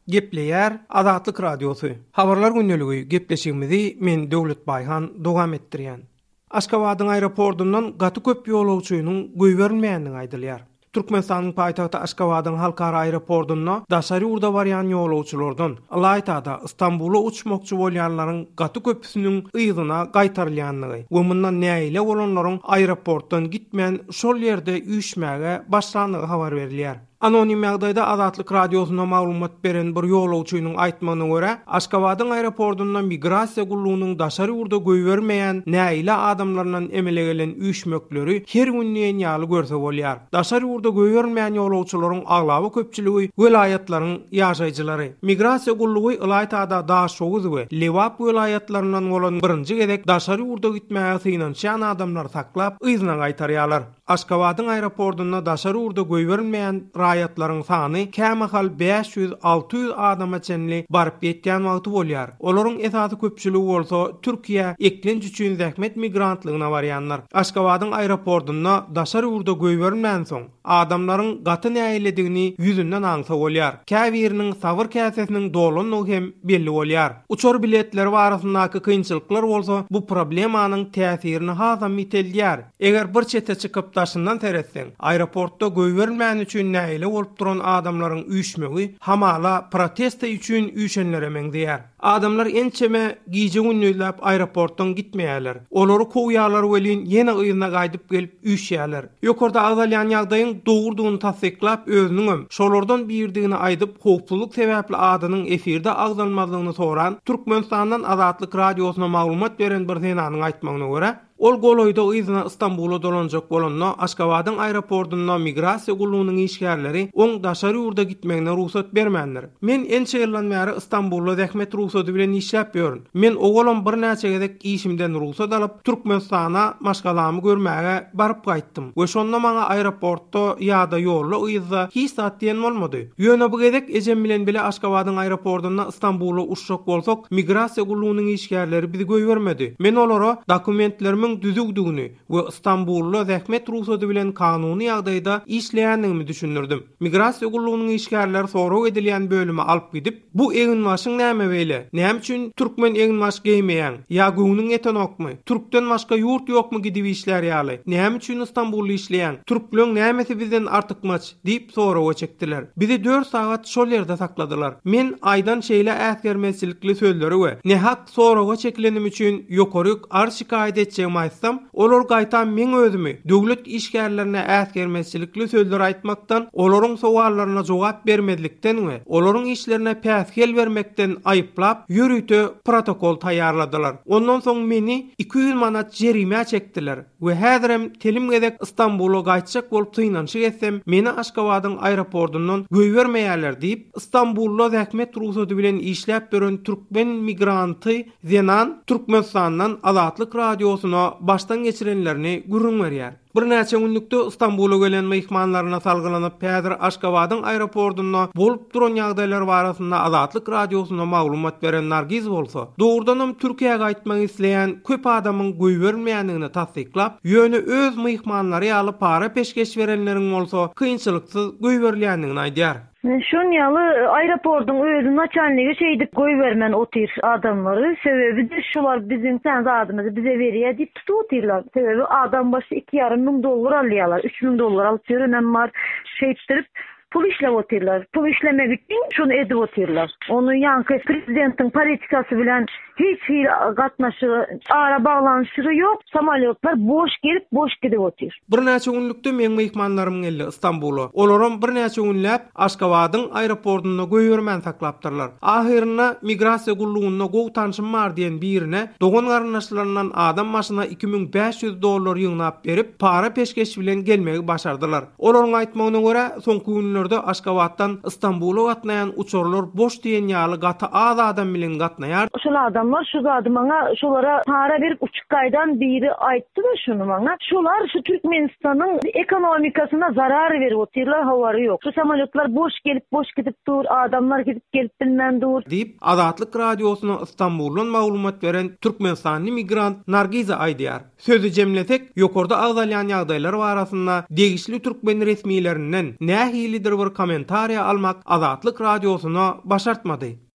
Gepleýär Azatlyk Radiosy. Habarlar gündeligi gepleşigimizi men Döwlet Baýhan dowam etdirýän. Aşgabadyň aeroportyndan gaty köp ýolagçynyň goýberilmeýändigi aýdylýar. Türkmenistanyň paýtagty Aşgabadyň halkara aeroportynda daşary ýurda barýan ýolagçylardan, ylaýta-da Stambula uçmakçy bolýanlaryň gaty köpüsiniň yzyna gaýtarylýandygy we mundan nägile bolanlaryň aeroportdan gitmän şol ýerde üýşmäge başlandygy habar berilýär. Anonim ýagdaýda Azatlyk Radiosyna maglumat beren bir ýolagçynyň aýtmagyna görä, Aşgabadyň aeroportynda migrasiýa gullugynyň daşary ýurda goýbermeýän nägile adamlaryndan emele gelen üýşmekleri her gün diýen ýaly görse bolýar. Daşary ýurda goýberilmeýän ýolagçylaryň aglaba köpçüligi welaýatlaryň ýaşaýjylary. Migrasiýa gullugy ylaýta-da Daşoguz we Lebap welaýatlaryndan bolan birinji gezek daşary ýurda gitmäge synanyşýan adamlary saklap, yzyna gaýtarýarlar. Aşgabadyň aeroportunda daşary ýurda goýberilmeýän raýatlaryň sany kämahal 500, 600 adama çenli baryp ýetýän wagty bolýar. Olaryň esasy köpçüligi bolsa Türkiýä eklenç üçin zähmet migrantlygyna barýanlar. Aşgabadyň aeroportunda daşary ýurda goýberilmänsoň, adamlaryň gaty nägiledigini ýüzünden aňsa bolýar. Käbiriniň sabyr käsesiniň dolandygy hem belli bolýar. Uçar biletleri barasyndaky kynçylyklar bolsa bu problemanyň täsirini hasam ýiteldýär. Eger bir çete çykyp daşyndan seretseň, aeroportda goýberilmäni üçin nägile bolup duran adamlaryň üýşmegi hamala protesta üçin üýşenlere meňzeýär. Adamlar ençeme gije-gündizläp aeroportdan gitmeýärler. Olary kowýarlar welin ýene yzyna gaýdyp gelip üýşýärler. Ýokarda agzalýan ýagdaýyň dogrudygyny tassyklap özüniňem şolardan biridigini aýdyp howpsuzlyk sebäpli adynyň efirde agzalmazlygyny soran Türkmenistandan Azatlyk Radiosyna maglumat beren bir zenanyň aýtmagyna görä, Ol golaýda yzyna Stambula dolanjak bolanda, Aşgabadyň aeroportunda migrasiýa gullugynyň işgärleri oň daşary ýurda gitmegine rugsat bermändir. Men ençe ýyldan bäri Stambulda zähmet rugsady bilen işläp ýörün. Men owalam birnäçe gezek işimden rugsat alyp, Türkmenistana maşgalamy görmäge baryp gaýtdym we şonda maňa aeroportda ýa-da ýolda-yzda hiç zat diýen bolmady. Ýöne bu gezek ejem bilen bile Aşgabadyň aeroportunda Stambula uçjak bolsak, migrasiýa gullugynyň işgärleri bizi goýbermedi. Men olara dokumentlerimiň düzüwdigini we Stambulda zähmet rugsady bilen kanuny ýagdaýda işleýändigimi düşündirdim. Migrasiýa gullugynyň işgärleri sorag edilýän bölüme alyp gidip, Bu eginbaşyň näme beýle? Näme üçin türkmen eginbaş geýmeýäň? Ýa göwnüň ýetenokmy? Türkden başga ýurt ýokmy gidip işlär ýaly? Näme üçin Stambulda işleýäň? Türkleň nämesi bizden artykmaç? Diýip soraga çekdiler. Bizi dört sagat şol ýerde sakladylar. Men aýdan şeýle äsgermezçilikli sözleri we nähak soraga çekilenim üçin ýokaryk arz-şikaýat etjegimi aýtsam, olar gaýtam meň özümi döwlet işgärlerine äsgermezçilikli sözler aýtmakdan, olaryň sowallaryna jogap bermezlikden we olaryň işlerine päsgel bermekden aýyplap, ýörite protokol taýýarladylar. Ondan soň meni 200 manat jerimä çekdiler. We häzirem telim gezek Stambula gaýtjak bolup synanyşyk etsem, meni Aşgabadyň aeroportyndan goýbermeýärler diýip, Stambulda zähmet rugsady bilen işläp ýören türkmen migranty zenan Türkmenistandan Azatlyk Radiosyna başdan geçirenlerini gürrüň berýär. Birnäçe günlükde Stambula gelen myhmanlaryna salgylanyp, häzir Aşgabadyň aeroportynda bolup duran ýagdaýlar barasynda Azatlyk Radiosyna maglumat beren Nargiz bolsa, dogrudanam Türkiýä gaýtmak isleýän köp adamyň goýberilmeýändigini tassyklap, ýöne öz myhmanlary ýaly para-peşgeş berenleriň bolsa kynçylyksyz goýberilýändigini aýdýar. Şon ýaly aeroportyň özi naçalnigi şeýdip goýbermän otyr adamlary, sebäbi-de şular biziň sen zadymyzy bize berýä diýip tutup otyrlar. Sebäbi adam başy 2,5 müň dollar alýarlar, 3000 dollar alyp ýörenem bar. Şeýtdirip Pul işläp otyrlar. Pul işlemek üçin şuny edip otyrlar. Ony ýaňky prezidentiň politikasy bilen hiç hili gatnaşygy, ara baglanyşygy ýok. Samolýotlar boş gelip, boş gidip otyr. Birnäçe günlükde meň myhmanlarym geldi Stambula. Olaram birnäçe günläp Aşgabadyň aeroportunda goýbermän saklapdyrlar. Ahyrynda migrasiýa gullugynda gowy tanşym bar diýen birine dogan-garyndaşlaryndan adam başyna 2500 dollar ýygnap berip, para-peşgeş bilen gelmegi başardylar. Olaryň aýtmagyna görä, soňky günlerde Aşgabatdan Stambula gatnaýan uçarlar boş diýen ýaly gaty az adam bilen gatnaýar. Şol adamlar şu zady maňa şolara para berip uçup gaýdan biri aýtdy-da şuny maňa. Şolar şu Türkmenistanyň ekonomikasyna zarar berip otyrlar hawary ýok. Şu samolýotlar boş gelip boş gidip dur, adamlar gidip gelip bilmän dur. Diýip, Azatlyk Radiosyna Stambuldan maglumat beren türkmenistanly migrant Nargiza aýdýar. Sözi jemlesek, ýokarda agzalýan ýagdaýlar barasynda degişli türkmen resmilerinden nähilidir. nähilidir bir kommentariýa almak Azatlyk Radiosyna başartmady.